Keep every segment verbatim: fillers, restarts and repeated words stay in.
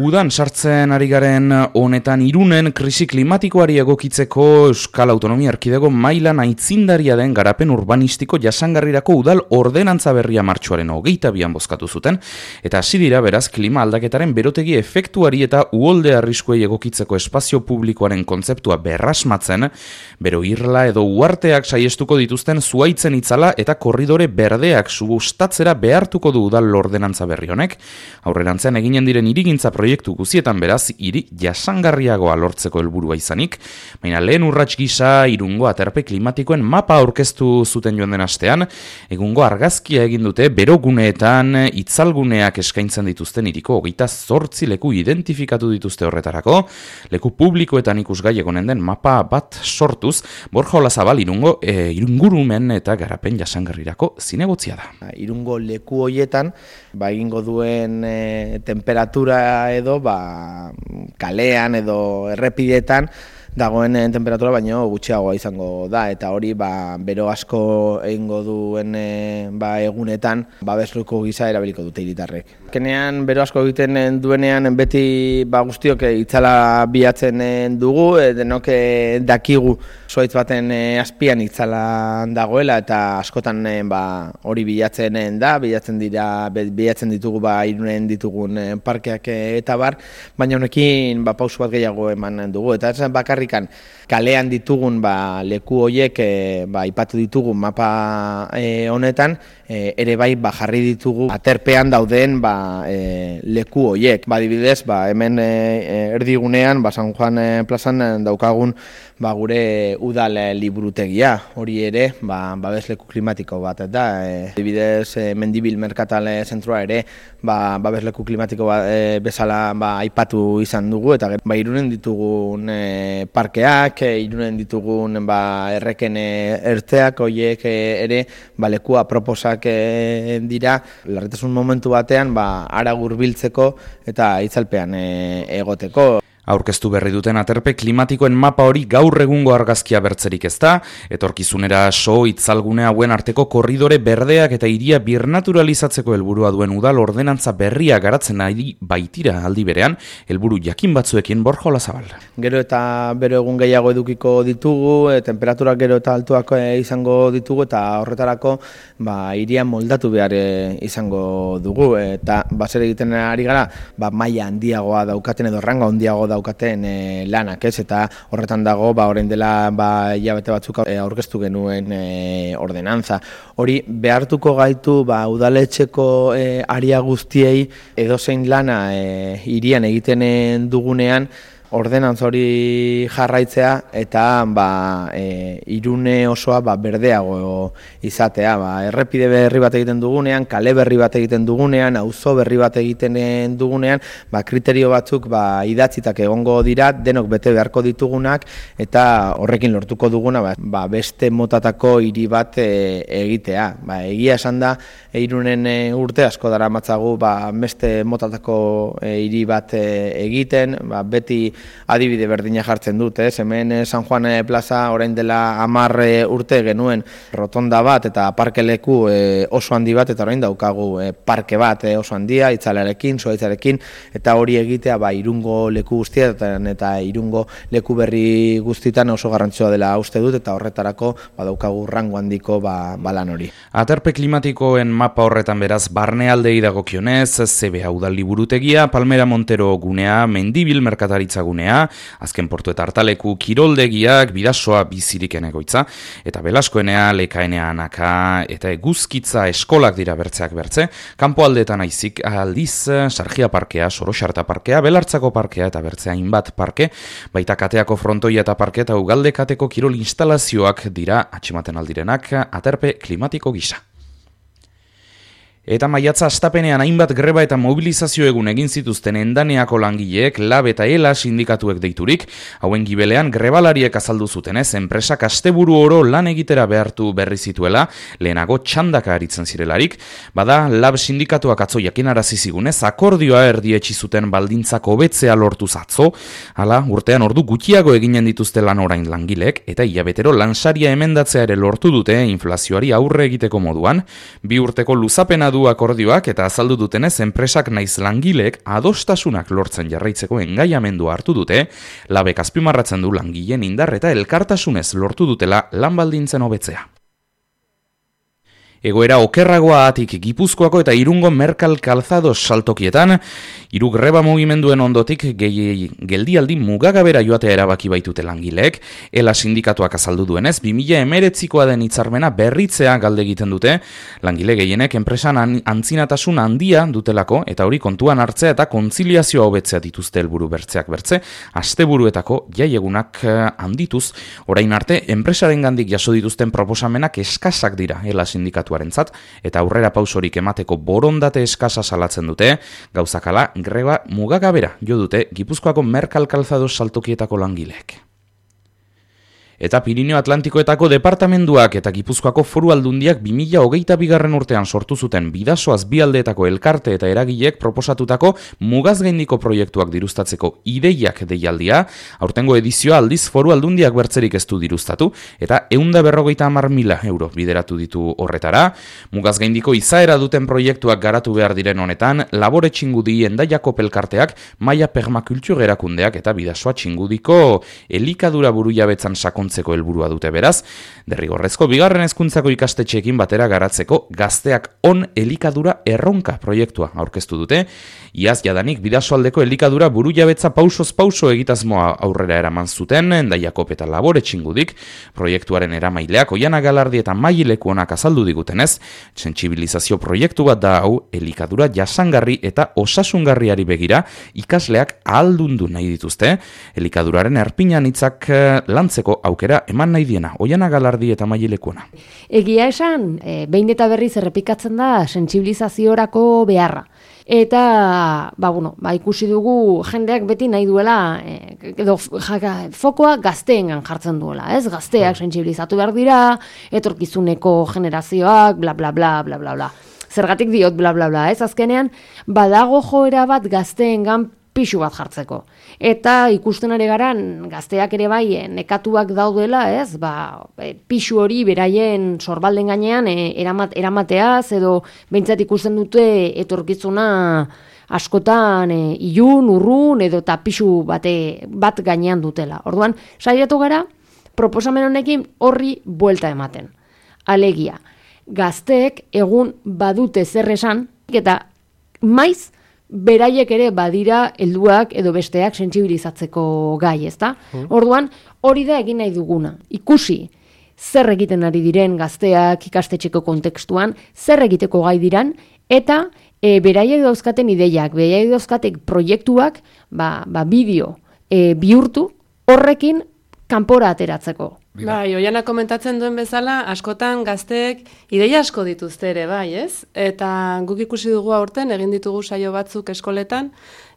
Udan sartzen ari garen honetan Irunen krisi klimatikoari egokitzeko Euskal Autonomia Erkidego mailan aitzindaria den garapen urbanistiko jasangarrirako udal ordenantza berria martxoaren hogeita bian bozkatu zuten, eta hasi dira beraz klima aldaketaren berotegi efektuari eta uholde arriskuei egokitzeko espazio publikoaren kontzeptua berrasmatzen, bero irla edo uarteak saiestuko dituzten zuaitzen itzala eta korridore berdeak subustatzera behartuko du udal ordenantza berri honek, aurrerantzean eginen diren hirigintza proiektu guzietan beraz, hiri jasangarriagoa lortzeko helburua izanik, baina lehen urrats gisa Irungo aterpe klimatikoen mapa aurkeztu zuten joan den astean, egungo argazkia egin dute beroguneetan itzalguneak eskaintzen dituzten hiriko hogeita zortzi leku identifikatu dituzte horretarako, leku publikoetan ikusgai egonen den mapa bat sortuz, Borja Olazabal Irungo e, Irungurumen eta garapen jasangarrirako zinegotzia da. Irungo leku hoietan, ba, egingo duen e, temperatura edo ba, kalean edo errepidetan dagoen temperatura baino gutxiagoa izango da, eta hori ba, bero asko egingo duen e, ba, egunetan babesluko gisa erabiliko dute hiritarrek. Kenean bero asko egiten duenean beti ba, guztiok itzala bilatzen dugu, e, denok dakigu zuaitz baten e, azpian itzala dagoela, eta askotan e, ba, hori bilatzen da, bilatzen dira, bilatzen ditugu ba, Irunen ditugun e, parkeak e, eta bar, baina honekin ba, pausu bat gehiago eman dugu, eta ez bakarrik kalean ditugun ba, leku horiek e, ba, ipatu ditugu mapa e, honetan, e, ere bai ba, jarri ditugu aterpean dauden ba, e, leku horiek. Ba, adibidez, ba, hemen e, erdigunean ba, San Juan e, plazan daukagun ba, gure udal e, liburutegia, hori ere ba, babesleku klimatiko bat da. E, adibidez, e, Mendibil Merkatal zentroa ere ba, babesleku klimatiko bat, e, bezala ba, aipatu izan dugu, eta ba, Irunen ditugun e, parkeak, e, Irunen ditugun ba, erreken ertzeak, horiek e, ere ba, lekua proposak e, dira, larritasun momentu batean ba, ara hurbiltzeko eta itzalpean e, egoteko. Aurkeztu berri duten aterpe klimatikoen mapa hori gaur egungo argazkia bertzerik ez da, etorkizunera so itzalgune hauen arteko korridore berdeak eta hiria birnaturalizatzeko helburua duen udal ordenantza berria garatzen ari baitira aldi berean, helburu jakin batzuekin Borja Olazabal. Gero eta bero egun gehiago edukiko ditugu, e, temperaturak gero eta altuak e, izango ditugu, eta horretarako ba, hiria moldatu behar e, izango dugu, eta baser egiten ari gara, ba, maila handiagoa daukaten edo ranga handiago daukaten e, lanak, ez, eta horretan dago ba orain dela ba hilabete batzuk e, aurkeztu genuen e, ordenantza. Hori behartuko gaitu ba udaletxeko e, aria guztiei edozein lana e, hirian egiten dugunean ordenantza hori jarraitzea eta ba, e, Irune osoa ba, berdeago izatea. Ba, errepide berri bat egiten dugunean, kale berri bat egiten dugunean, auzo berri bat egiten dugunean, ba, kriterio batzuk ba, idatzitak egongo dira, denok bete beharko ditugunak, eta horrekin lortuko duguna ba, ba, beste motatako hiri bat e, egitea. Ba, egia esan da, e, Irunen e, urte asko dara matzagu ba, beste motatako e, hiri bat e, egiten, ba, beti adibide berdina jartzen dut, ez? Hemen San Juan plaza orain dela hamar urte genuen rotonda bat eta parkeleku e, oso handi bat, eta orain daukagu e, parke bat e, oso handia, itzalarekin, zuaitzarekin, eta hori egitea ba, Irungo leku guztietan eta Irungo leku berri guztietan oso garrantzitsua dela uste dut, eta horretarako ba, daukagu rango handiko ba, balan hori. Aterpe klimatikoen mapa horretan beraz barnealdei dagokionez, Z B A udal liburutegia, Palmera Montero gunea, Mendibil merkataritza gunea, azken portu eta hartaleku kiroldegiak, bidasoa biziriken egoitza, eta Belaskoenea, Lekaenea anaka, eta eguzkitza eskolak dira bertzeak bertze, kanpo aldeetan aizik aldiz, Sargia parkea, Soroxarta parkea, Belartzako parkea eta bertzea hainbat parke, baita kateako frontoia eta parke eta ugalde kateko kirol instalazioak dira atxematen aldirenak aterpe klimatiko gisa. Eta maiatza astapenean hainbat greba eta mobilizazio egun egin zituzten Endaneako langileek, Lab eta Ela sindikatuek deiturik, hauen gibelean grebalariek azaldu zutenez, enpresak asteburu oro lan egitera behartu berri zituela, lehenago txandaka aritzen zirelarik, bada Lab sindikatuak atzo jakinarazi zigunez, akordioa erdietsi zuten baldintzak hobetzea lortu zatzo, hala urtean ordu gutxiago eginen dituzte lan orain langileek, eta hilabetero lansaria emendatzea ere lortu dute inflazioari aurre egiteko moduan, bi urteko luzapena du akordioak eta azaldu dutenez enpresak naiz langileek adostasunak lortzen jarraitzeko engaiamendua hartu dute, labek azpimarratzen du langileen indar eta elkartasunez lortu dutela lan baldintzen hobetzea. Egoera okerragoa atik Gipuzkoako eta Irungo Merkal Calzados saltokietan, hiru greba mugimenduen ondotik gehi geldialdi mugagabera joatea erabaki baitute langileek, ela sindikatuak azaldu duenez, bi mila hemeretzikoa den hitzarmena berritzea galde egiten dute, langile gehienek enpresan antzinatasun handia dutelako, eta hori kontuan hartzea eta kontziliazioa hobetzea dituzte helburu bertzeak bertze, asteburuetako jaiegunak handituz, orain arte, enpresarengandik jaso dituzten proposamenak eskasak dira, ela sindikatu eta aurrera pausorik emateko borondate eskasa salatzen dute, gauzakala greba mugagabera jo dute Gipuzkoako Merkal Calzados saltokietako langileek. Eta Pirineo Atlantikoetako departamenduak eta Gipuzkoako Foru Aldundiak bi mila hogeita bigarren urtean sortu zuten Bidasoaz bi aldeetako elkarte eta eragileek proposatutako mugazgaindiko proiektuak diruztatzeko ideiak deialdia, aurtengo edizioa aldiz Foru Aldundiak bertzerik ez du diruztatu, eta ehun eta berrogeita hamar mila euro bideratu ditu horretara. Mugazgaindiko izaera duten proiektuak garatu behar diren honetan, Labore Txingudi Endaiako pelkarteak, Maia Permakultur erakundeak eta Bidasoa Txingudiko elikadura burujabetzan sakon helburua dute beraz, derrigorrezko bigarren hezkuntzako ikastetxeekin batera garatzeko Gazteak on elikadura erronka proiektua aurkeztu dute, iaz jadanik Bidasoaldeko elikadura burujabetza pausoz pauso egitazmoa aurrera eraman zuten, Endaiako eta Labore Txingudik, proiektuaren eramaileak Oiana Galardi eta Maileku onak azaldu digutenez, sentsibilizazio proiektu bat da hau elikadura jasangarri eta osasungarriari begira ikasleak ahaldundu nahi dituzte, elikaduraren erpinan hitzak lantzeko aukera eman nahi diena, Oiana Galardi eta Mailekuona. Egia esan, e, behin eta berriz errepikatzen da sentsibilizaziorako beharra. Eta, ba, bueno, ba, ikusi dugu jendeak beti nahi duela, e, edo jaka, fokoa gazteengan jartzen duela, ez? Gazteak sentsibilizatu behar dira, etorkizuneko generazioak, bla, bla, bla, bla, bla, bla. Zergatik diot, bla, bla, bla, ez? Azkenean, badago joera bat gazteengan pixu bat jartzeko. Eta ikusten ari garan gazteak ere bai nekatuak daudela, ez? Ba, pixu hori beraien sorbalden gainean e, eramat, eramateaz edo behintzat ikusten dute etorkizuna askotan e, ilun, urrun edo eta pixu bate, bat gainean dutela. Orduan, saiatu gara proposamen honekin horri buelta ematen. Alegia, gazteek egun badute zer esan eta maiz beraiek ere badira helduak edo besteak sentsibilizatzeko gai, ezta? Mm. Orduan, hori da egin nahi duguna. Ikusi zer egiten ari diren gazteak ikastetxeko kontekstuan, zer egiteko gai diran, eta e, beraiek dauzkaten ideiak, beraiek dauzkatek proiektuak, ba, ba bideo e, bihurtu, horrekin kanpora ateratzeko. Bai, Oiana komentatzen duen bezala, askotan gazteek ideia asko dituzte ere, bai, ez? Eta guk ikusi dugu aurten, egin ditugu saio batzuk eskoletan,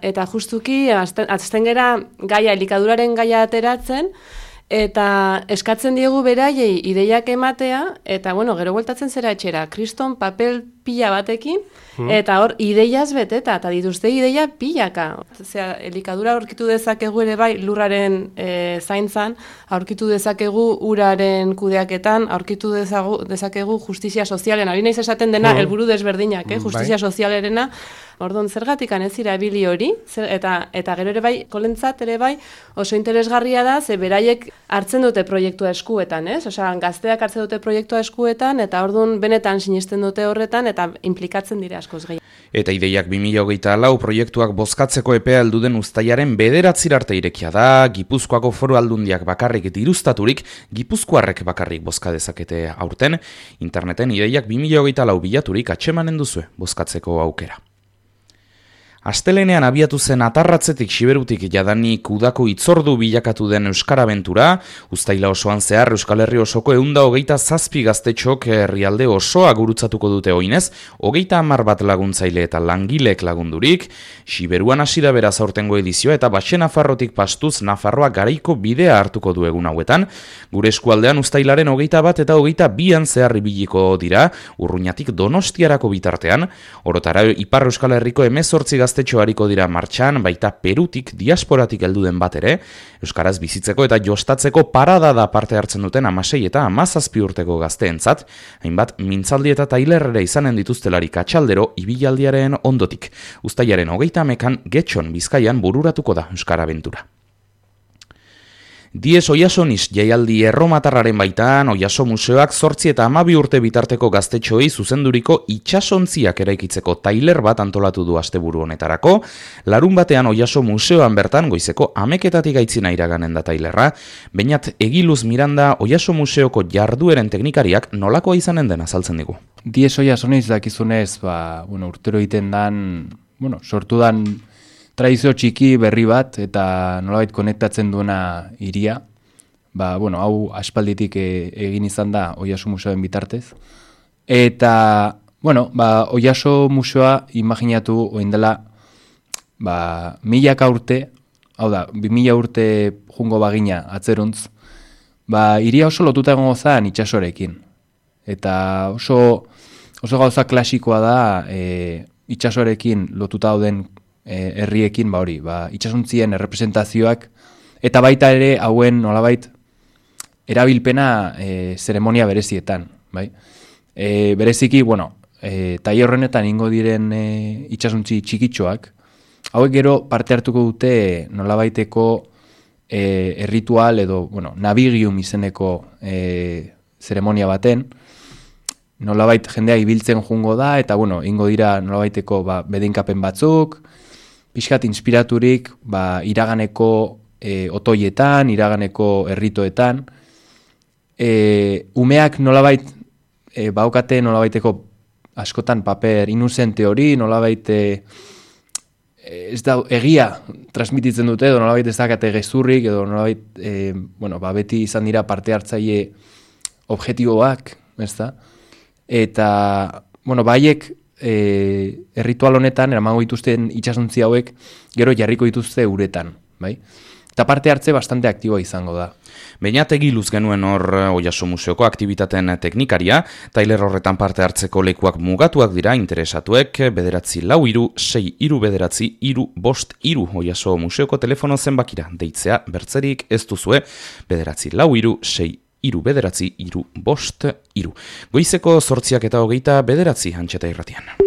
eta justuki, azten gera gaia, elikaduraren gaia ateratzen, eta eskatzen diegu beraiei ideiak ematea, eta bueno, gero bueltatzen zera etxera, kriston papel pila batekin, hmm. eta hor ideiaz beteta, eta dituzte ideia pilaka. Osea, elikadura aurkitu dezakegu ere bai lurraren e, zaintzan, aurkitu dezakegu uraren kudeaketan, aurkitu dezagu, dezakegu justizia sozialen. Ari naiz esaten dena, hmm. helburu desberdinak, eh? justizia bai. Sozialerena, orduan zergatikan ez dira ebili hori, zer, eta, eta gero ere bai, kolentzat ere bai, oso interesgarria da, ze beraiek hartzen dute proiektua eskuetan, ez? Osea, gazteak hartzen dute proiektua eskuetan, eta orduan benetan sinisten dute horretan, eta implikatzen dira askoz gehiago. Eta ideiak bi mila hogeita lau proiektuak bozkatzeko epea heldu den uztailaren bederatzira arte irekia da, Gipuzkoako Foru Aldundiak bakarrik diruztaturik, Gipuzkoarrek bakarrik bozka dezakete aurten, interneten ideiak bi mila hogeita lau bilaturik atsemanen duzue bozkatzeko aukera. Astelenean abiatu zen atarratzetik Siberutik jadanik udako itzordu bilakatu den Euskara Abentura, uztaila osoan zehar Euskal Herri osoko ehun eta hogeita zazpi gaztetxok herrialde osoa gurutzatuko dute oinez, hogeita hamar bat laguntzaile eta langilek lagundurik, Siberuan hasi da beraz aurtengo edizioa eta Baxe Nafarrotik pastuz Nafarroa garaiko bidea hartuko du egun hauetan, gure eskualdean uztailaren hogeita bat eta hogeita bian zehar ibiliko dira, Urruñatik Donostiarako bitartean, orotara Ipar Euskal Herriko hemezortzi gazte gaztetxo hariko dira martxan, baita Perutik, diasporatik heldu den bat ere, euskaraz bizitzeko eta jostatzeko parada da parte hartzen duten hamasei eta hamazazpi urteko gazteentzat, hainbat mintzaldi eta tailerrera izanen dituztelarik atxaldero ibilaldiaren ondotik. Uztailaren hogeita hamekan Getxon Bizkaian bururatuko da euskara abentura. Diez Oiasoniz jaialdi erromatarraren baitan, Oiaso Museoak zortzi eta hamabi urte bitarteko gaztetxoei zuzenduriko itsasontziak eraikitzeko tailer bat antolatu du asteburu honetarako. Larun batean Oiaso Museoan bertan goizeko ameketatik aitzina iraganen da tailerra. Beñat Egiluz Miranda Oiaso Museoko jardueren teknikariak nolakoa izanen den azaltzen digu. Diez Oiasoniz dakizunez, ba, bueno, urtero egiten dan, bueno, sortu dan tradizio txiki berri bat eta nolabait konektatzen duena hiria. Ba, bueno, hau aspalditik e, egin izan da Oiaso Museoen bitartez. Eta, bueno, ba, Oiaso Museoa imaginatu orain dela ba, milaka urte, hau da, bi mila urte jungo bagina atzeruntz, ba, hiria oso lotuta egongo zen itsasorekin. Eta oso, oso gauza klasikoa da e, itsasorekin lotuta dauden herriekin, ba hori, ba, itsasontzien errepresentazioak, eta baita ere hauen nolabait erabilpena e, zeremonia berezietan, bai? E, bereziki, bueno, e, tailer horrenetan ingo diren e, itsasontzi txikitxoak, hauek gero parte hartuko dute nolabaiteko e, erritual edo, bueno, navigium izeneko e, zeremonia baten, nolabait jendea ibiltzen jungo da, eta, bueno, ingo dira nolabaiteko ba, bedinkapen batzuk, pixkat inspiraturik ba, iraganeko e, otoietan, iraganeko erritoetan. E, umeak nolabait e, baukate nolabaiteko askotan paper inuzente hori, nolabait e, ez da egia transmititzen dute, edo nolabait ez dakate gezurrik, edo nolabait e, bueno, ba, beti izan dira parte hartzaile objektiboak, ez da? Eta, bueno, baiek E, erritual honetan eramango dituzten itsasontzi hauek gero jarriko dituzte uretan, bai? Eta parte hartze bastante aktiboa izango da. Beñat Egiluz genuen hor Oiaso Museoko aktibitateen teknikaria, tailer horretan parte hartzeko lekuak mugatuak dira interesatuek, bederatzi lau iru, sei iru bederatzi, iru bost iru Oiaso Museoko telefono zenbakira deitzea bertzerik ez duzue, bederatzi lau iru, sei iru bederatzi, iru bost iru. Goizeko zortziak eta hogeita bederatzi Antxeta Irratian.